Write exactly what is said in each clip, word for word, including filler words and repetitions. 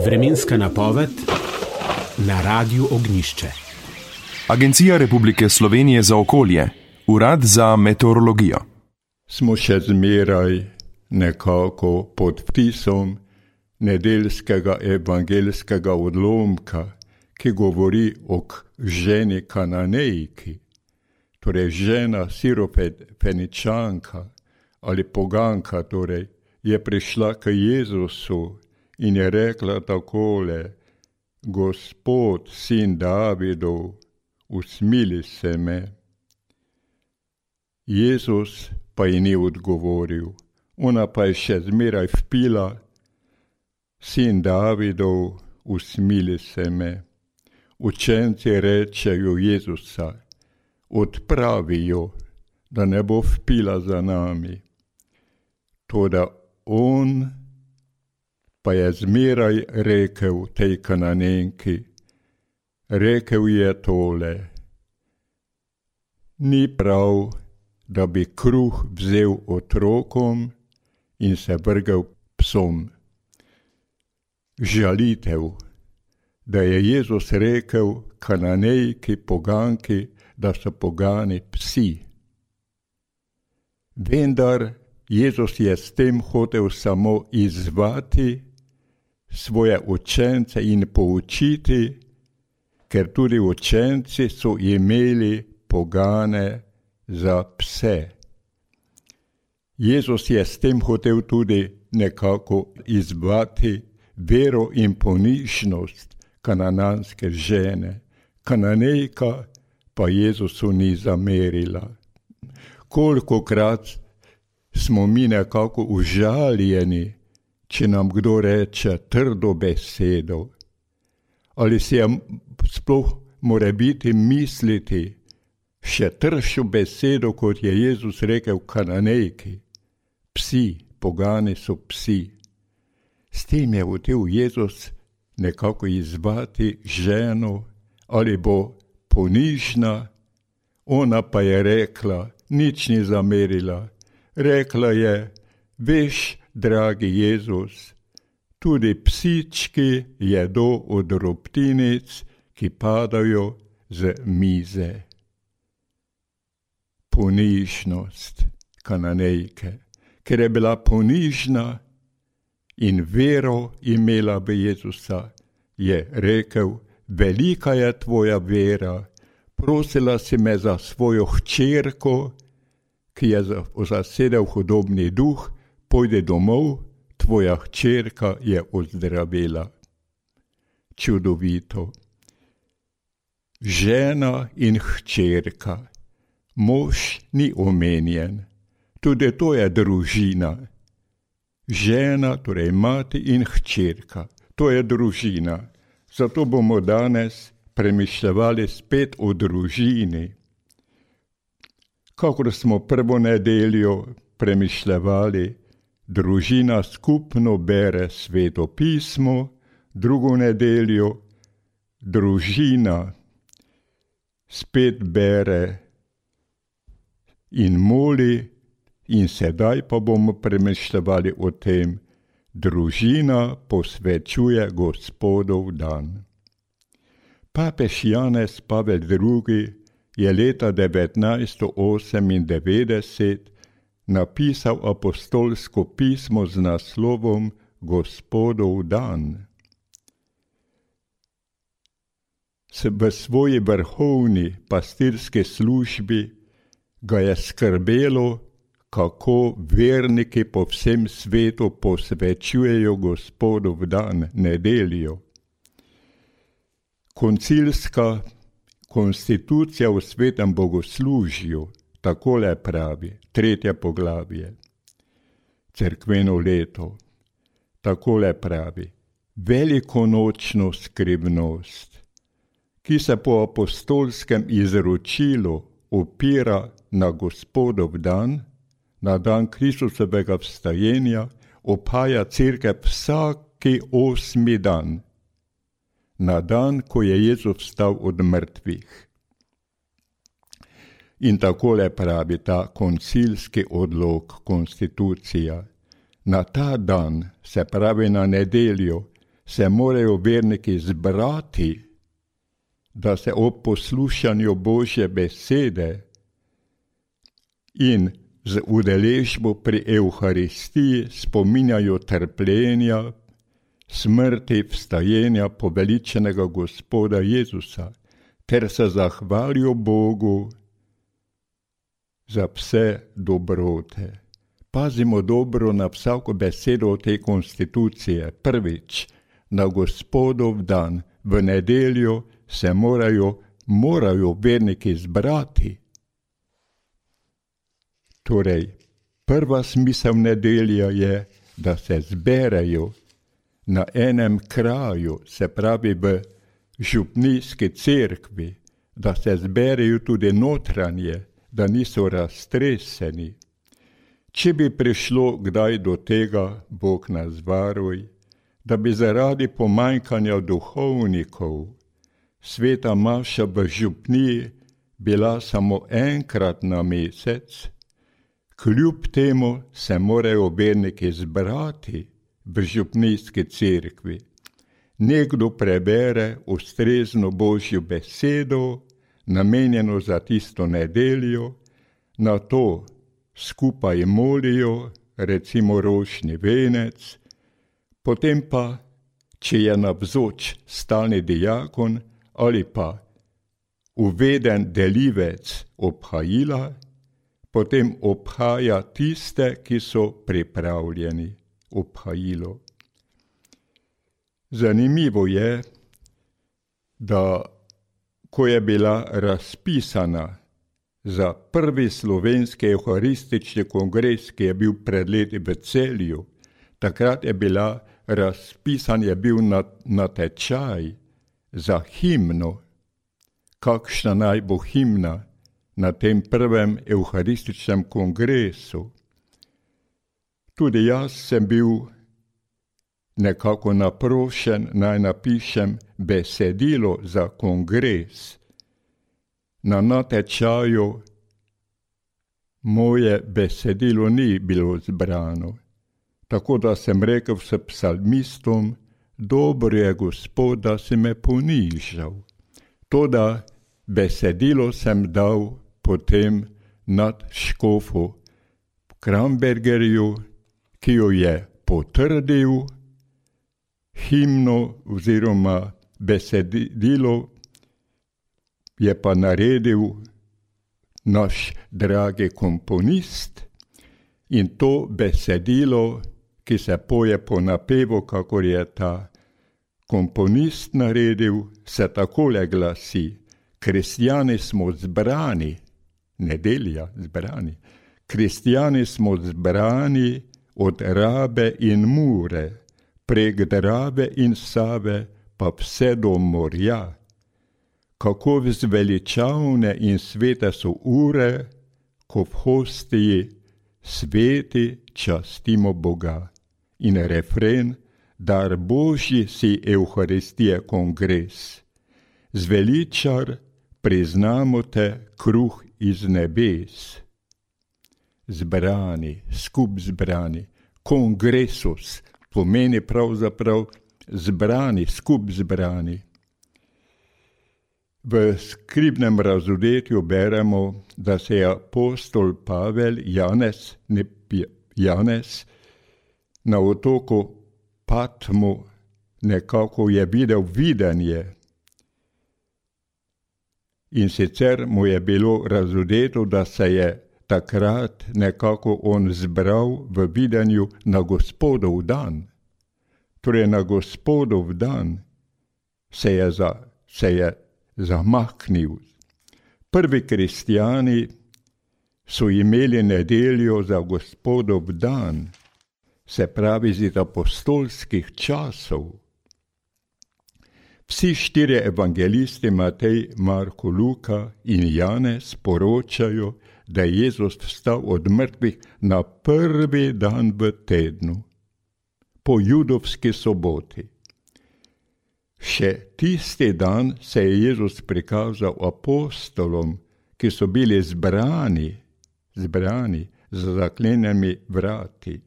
Vremenska napoved na Radiu Ognjišče. Agencija Republike Slovenije za okolje, Urad za meteorologijo. Smo še zmeraj nekako pod vtisom nedeljskega evangeljskega odlomka, ki govori o ženi Kananejki, torej žena Sirofeničanka ali poganka, torej je prišla k Jezusu in je rekla takole: Gospod, sin Davidov, usmili se me. Jezus pa ji ni odgovoril, ona pa je še zmeraj vpila: sin Davidov, usmili se me. Učenci rečejo Jezusa: odpravi jo, da ne bo vpila za nami. Toda on pa je zmeraj rekel tej Kananejki, rekel je tole: ni prav, da bi kruh vzel otrokom in se vrgel psom. Žalitev, da je Jezus rekel Kananejki, poganki, da so pogani psi. Vendar Jezus je s tem hotel samo izzvati svoje učence in poučiti, ker tudi učenci so imeli pogane za pse. Jezus je s tem hotel tudi nekako izzvati vero in ponižnost kanananske žene. Kananejka pa Jezusu ni zamerila. Kolikokrat smo mi nekako užaljeni, če nam kdo reče trdo besedo, ali si je sploh more biti misliti še tršo besedo, kot je Jezus rekel Kananejki: psi, pogani so psi. S tem je hotel Jezus nekako izzvati ženo, ali bo ponižna, ona pa je rekla, nič ni zamerila. Rekla je: veš, dragi Jezus, tudi psički jedo od drobtinic, ki padajo z mize. Ponižnost Kananejke, ker je bila ponižna in vero imela v Jezusa, je rekel: velika je tvoja vera, prosila si me za svojo hčerko, ki je zasedel hudobni duh, pojdi domov, tvoja hčerka je ozdravela. Čudovito. Žena in hčerka. Mož ni omenjen. Tudi to je družina. Žena, torej mati in hčerka. To je družina. Zato bomo danes premišljevali spet o družini. Kakor smo prvo nedeljo premišljevali, družina skupno bere Sveto pismo, drugo nedeljo družina spet bere in moli, in sedaj pa bomo premišljevali o tem: družina posvečuje Gospodov dan. Papež Janez Pavel drugi je leta devetnajststo osemindevetdeset napisal apostolsko pismo z naslovom Gospodov dan. V svoji vrhovni pastirski službi ga je skrbelo, kako verniki po vsem svetu posvečujejo Gospodov dan, nedeljo. Koncilska konstitucija v svetem bogoslužju takole pravi, tretje poglavje, cerkveno leto, takole pravi: velikonočno skrivnost, ki se po apostolskem izročilu opira na Gospodov dan, na dan Kristusovega vstajenja, opaja cerkev vsaki osmi dan, na dan, ko je Jezus vstal od mrtvih. In takole pravi ta koncilski odlok, konstitucija: na ta dan, se pravi na nedeljo, se morajo verniki zbrati, da se ob poslušanju Božje besede in z udeležbo pri Evharistiji spominjajo trpljenja, smrti, vstajenja poveličenega Gospoda Jezusa, ter se zahvalijo Bogu za vse dobrote. Pazimo dobro na vsako besedo te konstitucije. Prvič, na Gospodov dan, v nedeljo, se morajo, morajo verniki zbrati. Torej, prva smisel nedelja je, da se zberejo na enem kraju, se pravi v župnijski cerkvi, da se zberejo tudi notranje, da niso raztreseni. Če bi prišlo kdaj do tega, Bog nas varuj, da bi zaradi pomanjkanja duhovnikov sveta maša v župniji bila samo enkrat na mesec, kljub temu se morajo verniki zbrati v župnijski cerkvi. Nekdo prebere ustrezno Božjo besedo, namenjeno za tisto nedeljo, na to skupaj molijo, recimo rožni venec, potem pa, če je navzoč stalni diakon ali pa uveden delivec obhajila, potem obhaja tiste, ki so pripravljeni obhajilo. Zanimivo je, da ko je bila razpisana za prvi slovenski evharistični kongres, ki je bil pred leti v Celju, takrat je bila razpisan, je bil natečaj za himno, kakšna naj bo himna na tem prvem evharističnem kongresu. Tudi jaz sem bil nekako naprošen, naj napišem besedilo za kongres. Na natečaju moje besedilo ni bilo zbrano, tako da sem rekel s psalmistom, dobro je Gospod, da si me ponižal. Toda besedilo sem dal potem nad škofu Krambergerju, ki jo je potrdil, himno oziroma besedilo je pa naredil naš dragi komponist in to besedilo, ki se poje po napevu, kakor je ta komponist naredil, se takole glasi: kristjani smo zbrani, nedelja zbrani, kristjani smo zbrani od Rabe in Mure, prek Drave in Save pa vse do morja. Kako zveličavne in svete so ure, ko v hostiji sveti častimo Boga. In refren, dar Božji si Evharistije kongres. Zveličar, priznamo te, kruh iz nebes. Zbrani, skup zbrani, kongresus, pomeni pravzaprav zbrani, skup zbrani. V skribnem razodetju beremo, da se je apostol Pavel Janez, ne Janez, na otoku Patmu nekako je videl videnje. In sicer mu je bilo razodeto, da se je takrat nekako on zbral v videnju na Gospodov dan. Torej na Gospodov dan se je, za, se je zamaknil. Prvi kristjani so imeli nedeljo za Gospodov dan, se pravi iz apostolskih časov. Vsi štirje evangelisti, Matej, Marko, Luka in Janez, poročajo, da je Jezus vstal od mrtvih na prvi dan v tednu, po judovski soboti. Še tisti dan se je Jezus prikazal apostolom, ki so bili zbrani, zbrani z zaklenjenimi vrati.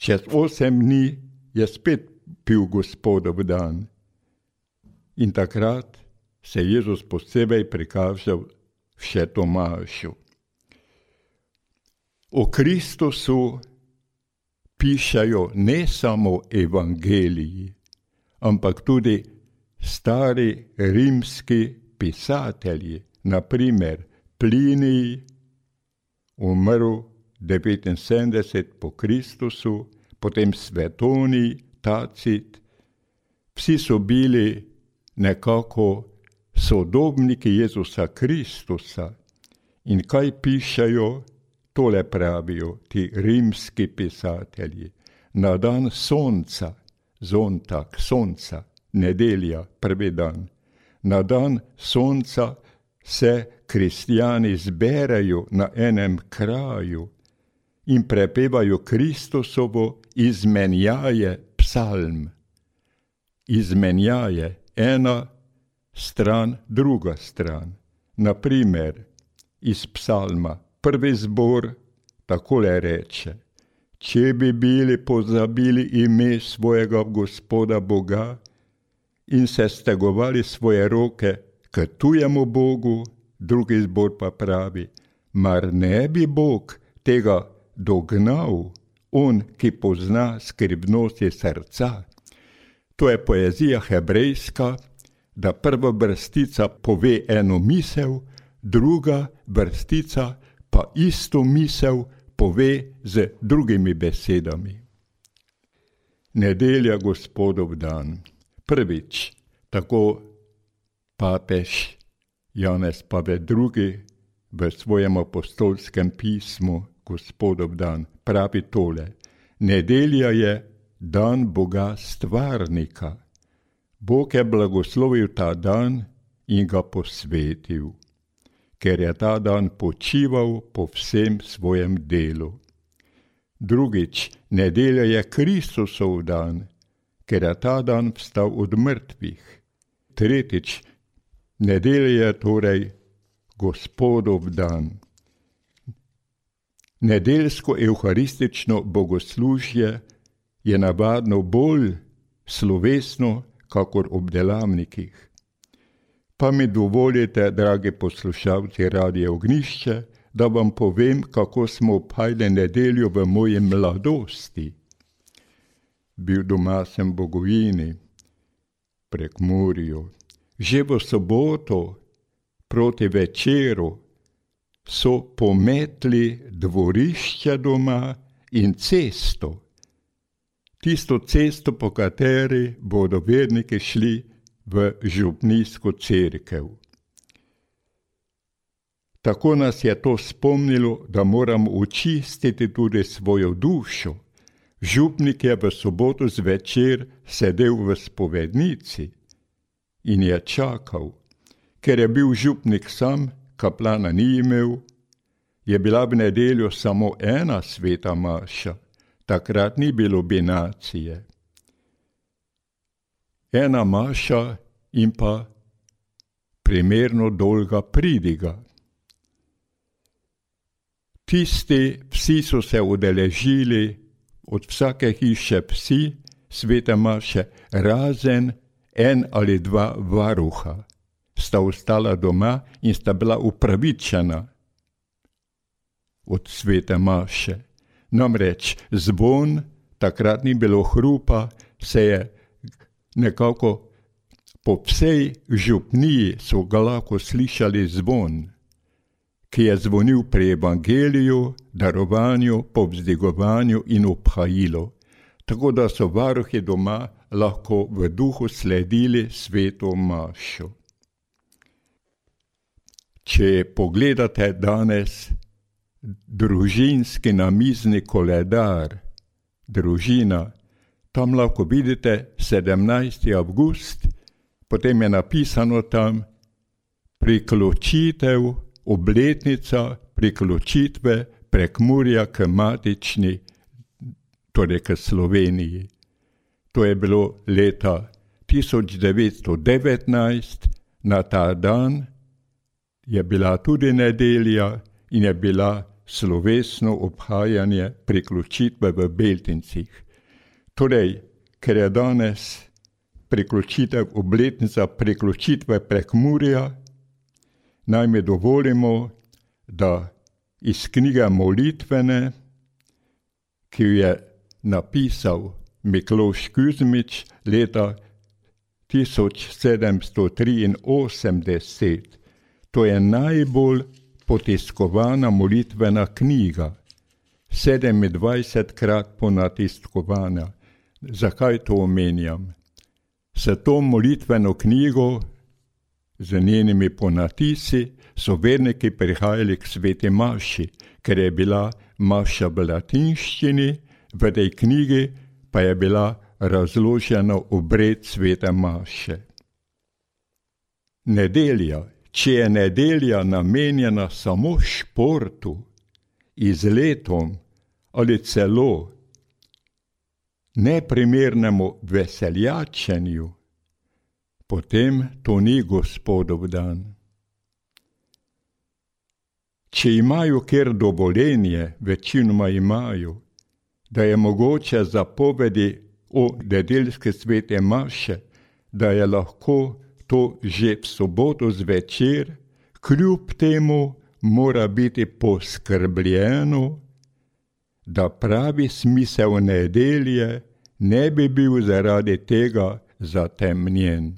Čez osem dni je spet bil Gospodov dan. In takrat se je Jezus posebej prikazal še Tomašu. O Kristusu pišajo ne samo evangeliji, ampak tudi stari rimski pisatelji, na primer Plinij, umrl devetinsedemdeset po Kristusu, potem Svetonij, Tacit. Vsi so bili nekako sodobniki Jezusa Kristusa. In kaj pišajo? Tole pravijo ti rimski pisatelji. Na dan sonca, zontak, sonca, nedelja, prvi dan, na dan sonca se kristjani zberajo na enem kraju in prepevajo Kristusovo izmenjaje psalm. Izmenjaje, ena stran, druga stran. Na primer, iz psalma, prvi zbor takole reče: če bi bili pozabili ime svojega Gospoda Boga in se stegovali svoje roke k tujemu Bogu, drugi zbor pa pravi: mar ne bi Bog tega dognal, on, ki pozna skrivnosti srca. To je poezija hebrejska, da prva vrstica pove eno misel, druga vrstica pa isto misel pove z drugimi besedami. Nedelja, Gospodov dan. Prvič, tako papež Janez Pavel drugi v svojem apostolskem pismu Gospodov dan pravi tole: nedelja je dan Boga stvarnika. Bog je blagoslovil ta dan in ga posvetil, ker je ta dan počival po vsem svojem delu. Drugič, nedelja je Kristusov dan, ker je ta dan vstal od mrtvih. Tretjič, nedelja je torej Gospodov dan. Nedeljsko evharistično bogoslužje je navadno bolj slovesno, kakor ob delavnikih. Pa mi dovolite, dragi poslušalci Radia Ognjišče, da vam povem, kako smo obhajali nedeljo v moji mladosti. Bil doma sem v Bogojini, Prekmurju. Že v soboto proti večeru so pometli dvorišče doma in cesto. Tisto cesto, po kateri bodo verniki šli v župnijsko cerkev. Tako nas je to spomnilo, da moramo očistiti tudi svojo dušo. Župnik je v soboto zvečer sedel v spovednici in je čakal. Ker je bil župnik sam, kaplana ni imel, je bila v nedeljo samo ena sveta maša. Takrat ni bilo binacije. Ena maša in pa primerno dolga pridiga. Tisti vsi so se udeležili, od vsake hiše vsi, svete maše, razen en ali dva varuha. Sta ostala doma in sta bila upravičena od svete maše. Namreč zvon, takrat ni bilo hrupa, se je nekako po vsej župniji so ga lahko slišali zvon, ki je zvonil pri evangeliju, darovanju, povzdigovanju in obhajilu, tako da so varuhi doma lahko v duhu sledili sveto mašo. Če pogledate danes družinski namizni koledar, družina, tam lahko vidite sedemnajsti avgust, potem je napisano tam priključitev, obletnica priključitve Prekmurja k matični, torej k Sloveniji. To je bilo leta tisoč devetsto devetnajst, na ta dan je bila tudi nedelja in je bila slovesno obhajanje priključitve v Beltincih. Torej, ker je danes priključitev obletnica priključitve Prekmurja, naj mi dovolimo, da iz knjige Molitvene, ki jo je napisal Mikloš Kuzmič leta tisoč sedemsto triinosemdeset, to je najbolj potiskovana molitvena knjiga, sedemindvajsetkrat ponatiskovana. Zakaj to omenjam? S to molitveno knjigo, z njenimi ponatisi, so verniki prihajali k sveti maši, ker je bila maša v latinščini, v tej knjigi pa je bila razložena obred svete maše. Nedelja, če je nedelja namenjena samo športu, izletom ali celo neprimernemu veseljačenju, potem to ni Gospodov dan. Če imajo kjer dovoljenje, večinoma imajo, da je mogoče zapovedi o nedeljske svete maše, da je lahko to že v soboto zvečer, kljub temu mora biti poskrbljeno, da pravi smisel nedelje ne bi bil zaradi tega zatemnjen.